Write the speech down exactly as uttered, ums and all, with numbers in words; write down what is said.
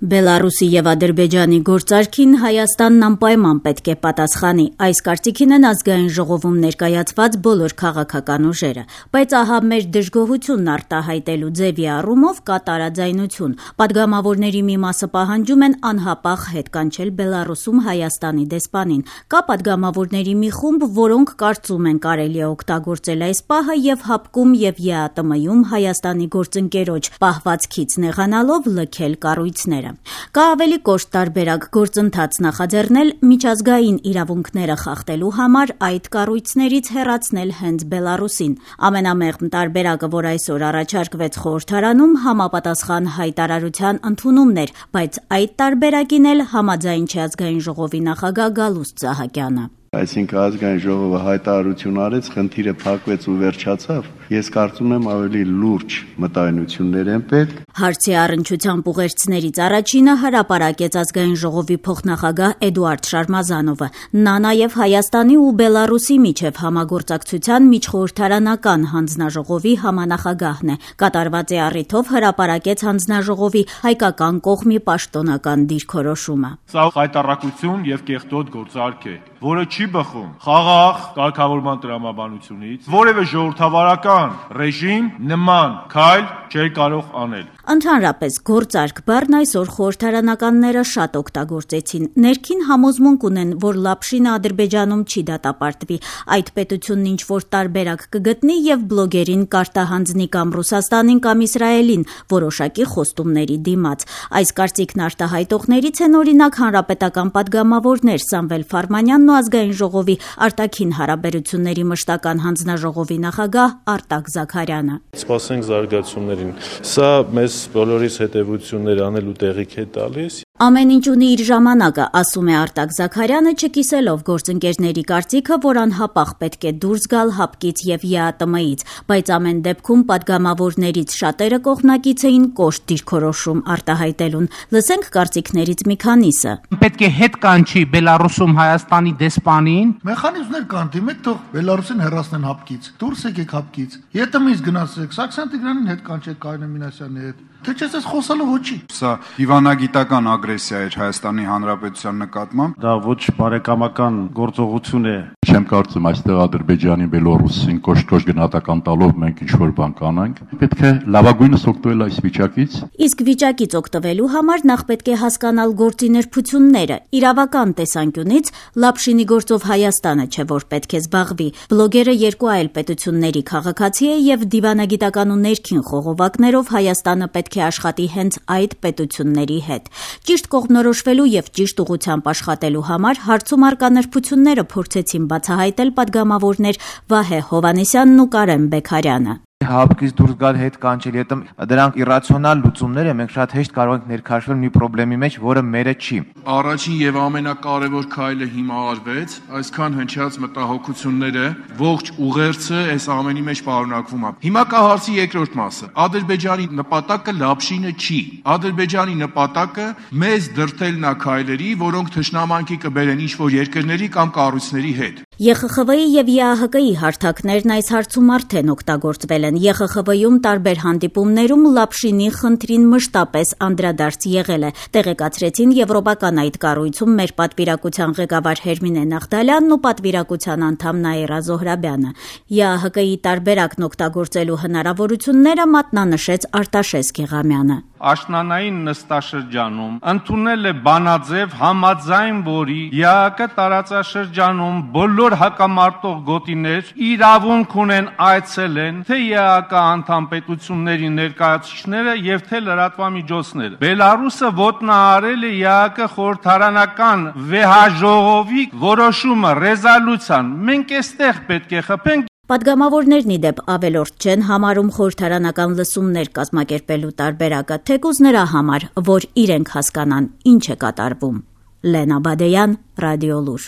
Բելարուսի եւ Ադրբեջանի գործարքին Հայաստանն անպայման պետք է պատասխանի։ Այս կարծիքին են ազգային ժողովում ներկայացված բոլոր քաղաքական ուժերը, բայց ահա մեր դժգոհությունն արտահայտելու ձևի առումով կա տարաձայնություն։ Պատգամավորների մի մասը պահանջում են անհապաղ հետ կանչել Բելարուսում Հայաստանի դեսպանին։ Կա պատգամավորների մի խումբ, որոնք կարծում են կարելի է օգտագործել այս պահը եւ հապկում եւ ԵԱՏՄ-ում Հայաստանի գործընկերոջ պահվածքից նեղանալով լքել կառույցները։ Կա ավելի կոշտ տարբերակ գործընթաց նախաձեռնել միջազգային իրավունքները խախտելու համար այդ կառույցներից հեռացնել հենց Բելարուսին։ Ամենամեղմ տարբերակը, որ այսօր առաջարկվեց խորհրդարանում, համապատասխան հայտարարության ընդունումն էր, բայց այդ տարբերակին էլ համաձայն չէ ազգային ժողովի նախագահ Գալուստ Սահակյանը։ Այսինքն ազգային ժողովը հայտարարություն արեց, խնդիրը փակվեց ու վերջացավ։ Ես կարծում եմ ավելի լուրջ մտայնություններ են պետք։ Հարցի առնչությամբ ուղերձներից առաջինը հրապարակեց ազգային ժողովի փոխնախագահ Էդուարդ Շարմազանովը։ Նա նաև Հայաստանի ու Բելարուսի միջև համագործակցության միջխորհրդարանական հանձնաժողովի համանախագահն է։ Կատարված է առիթով հրապարակեց հանձնաժողովի հայկական կողմի պաշտոնական դիրքորոշումը։ Սա հայտարարություն եւ կեղտոտ գործարք է, որը չի բխում խաղաղ կարգավորման տրամաբանությունից, որևէ ժողովրդավարական ռեժիմ նման քայլ չէր կարող անել։ Ընդհանրապես գործարք բառն այսօր խորհրդարանականները շատ օգտագործեցին։ Ներքին համոզմունք ունեն, որ Լապշինը Ադրբեջանում չի դատապարտվի։ Այդ պետությունն ինչ որ տարբերակ կգտնի եւ բլոգերին կարտահանձնի կամ Ռուսաստանին կամ Իսրայելին որոշակի խոստումների դիմաց։ Այս կարծիքն արտահայտողներից են օրինակ հանրապետական պատգամավորներ Սամվել Ֆարմանյանն ու ազգային ժողովի արտաքին հարաբերությունների մշտական հանձնաժողովի նախագահ Արտակ Զաքարյանը։ Սպասենք զարգացումներին։ Սա մեզ բոլորիս հետևություններ անելու տեղիք է տալիս։ Ամեն ինչ ունի իր ժամանակը, ասում է Արտակ Զաքարյանը, չկիսելով գործընկերների կարծիքը, որ անհապաղ պետք է դուրս գալ հապկից եւ ԵԱՏՄ-ից, բայց ամեն դեպքում պատգամավորներից շատերը կողմնակից էին կոշտ դիրքորոշում արտահայտելուն։ Լսենք կարծիքներից մի քանիսը։ Պետք է հետ կանչի Բելարուսում Հայաստանի դեսպանին։ Մեխանիզմներ կան, դիմեք թող Բելարուսին հեռացնեն հապկից։ Դուրս եկեք հապկից։ ԵԱՏՄ-ից գնացեք, Սարգսյան Տիգրանին հետ կանչեք, Կարինե Մինասյանի հետ։ Թե չէ ես խոսալով ոչի։ Սա դիվանագիտական ագրեսիա էր Հայաստանի Հանրապետության նկատմամբ։ Դա ոչ բարեկամական գործողություն է։ Չեմ կարծում այստեղ Ադրբեջանի, Բելարուսին կոշտ-կոշտ գնահատական տալով մենք ինչ-որ բան կանենք։ Պետք է լավագույնս օգտվել այս վիճակից։ Իսկ վիճակից օգտվելու համար նախ պետք է հասկանալ գործի նրբությունները։ Իրավական տեսանկյունից Լապշինի գործով Հայաստանը չէ, որ պետք է զբաղվի։ Բլոգերը երկու այլ պետությունների քաղաքացի է եւ դիվանագիտական ու ներքին խողովակներով Հայաստանը պետք է աշխատի հենց այդ պետությունների հետ։ Ճիշտ կողմնորոշվելու եւ ճիշտ ուղղությամբ աշխատելու համար հարցում արկա նրբությունները փորձեցին բացահայտել պատգամավորներ Վահե Հովհաննիսյանն ու Կարեն Բեքարյանը։ Հապկից դուրս գալ հետ կանչել ետմ դրանք իրացիոնալ լուծումներ են, մենք շատ հեշտ կարող ենք ներքաշվել մի խնդրի մեջ, որը մերը չի։ Առաջին եւ ամենակարևոր քայլը հիմա արվեց, այսքան հնչած մտահոգությունները, ողջ ուղերձը այս ամենի մեջ պարունակվում է։ Հիմա կա հարցի երկրորդ մասը։ Ադրբեջանի նպատակը Լապշինը չի։ Ադրբեջանի նպատակը մեզ դրթելն է քայլերի, որոնք թշնամանքի կբերեն ինչ-որ երկրների կամ կառույցների հետ։ ԵԽԽՎ-ի եւ ԵԱՀԿ-ի հարթակներն այս հարցում արդեն օգտագործվել են։ ԵԽԽՎ-ում տարբեր հանդիպումներում Լապշինի խնդրին մշտապես անդրադարձ եղել է։ Տեղեկացրեցին եվրոպական այդ կառույցում մեր պատվիրակության ղեկավար Հերմինե Նաղդալյանն ու պատվիրակության անդամ Նաիրա Զոհրաբյանը։ ԵԱՀԿ-ի տարբերակն օգտագործելու հնարավորությունները մատնանշեց Արտաշես Գեղամյանը։ Աշնանային նստաշրջանում ընդունել է բանաձև համաձայն, որի ԵԱՀԿ տարածաշրջանում բոլոր հակամարտող գոտիներ իրավունք ունեն այցելեն թե ԵԱՀԿ անդամ պետությունների ներկայացուցիչները եւ թե լրատվամիջոցները։ Բելարուսը ոտնահարել է ԵԱՀԿ խորհրդարանական վեհաժողովի որոշումը, ռեզոլյուցիան։ Մենք այստեղ պետք է խփենք։ Պատգամավորներն ի դեպ ավելորդ չեն համարում խորհրդարանական լսումներ կազմակերպելու տարբերակը, թեկուզ նրա համար, որ իրենք հասկանան ինչ է կատարվում։ Լենա Բադեյան, Ռադիոլուր։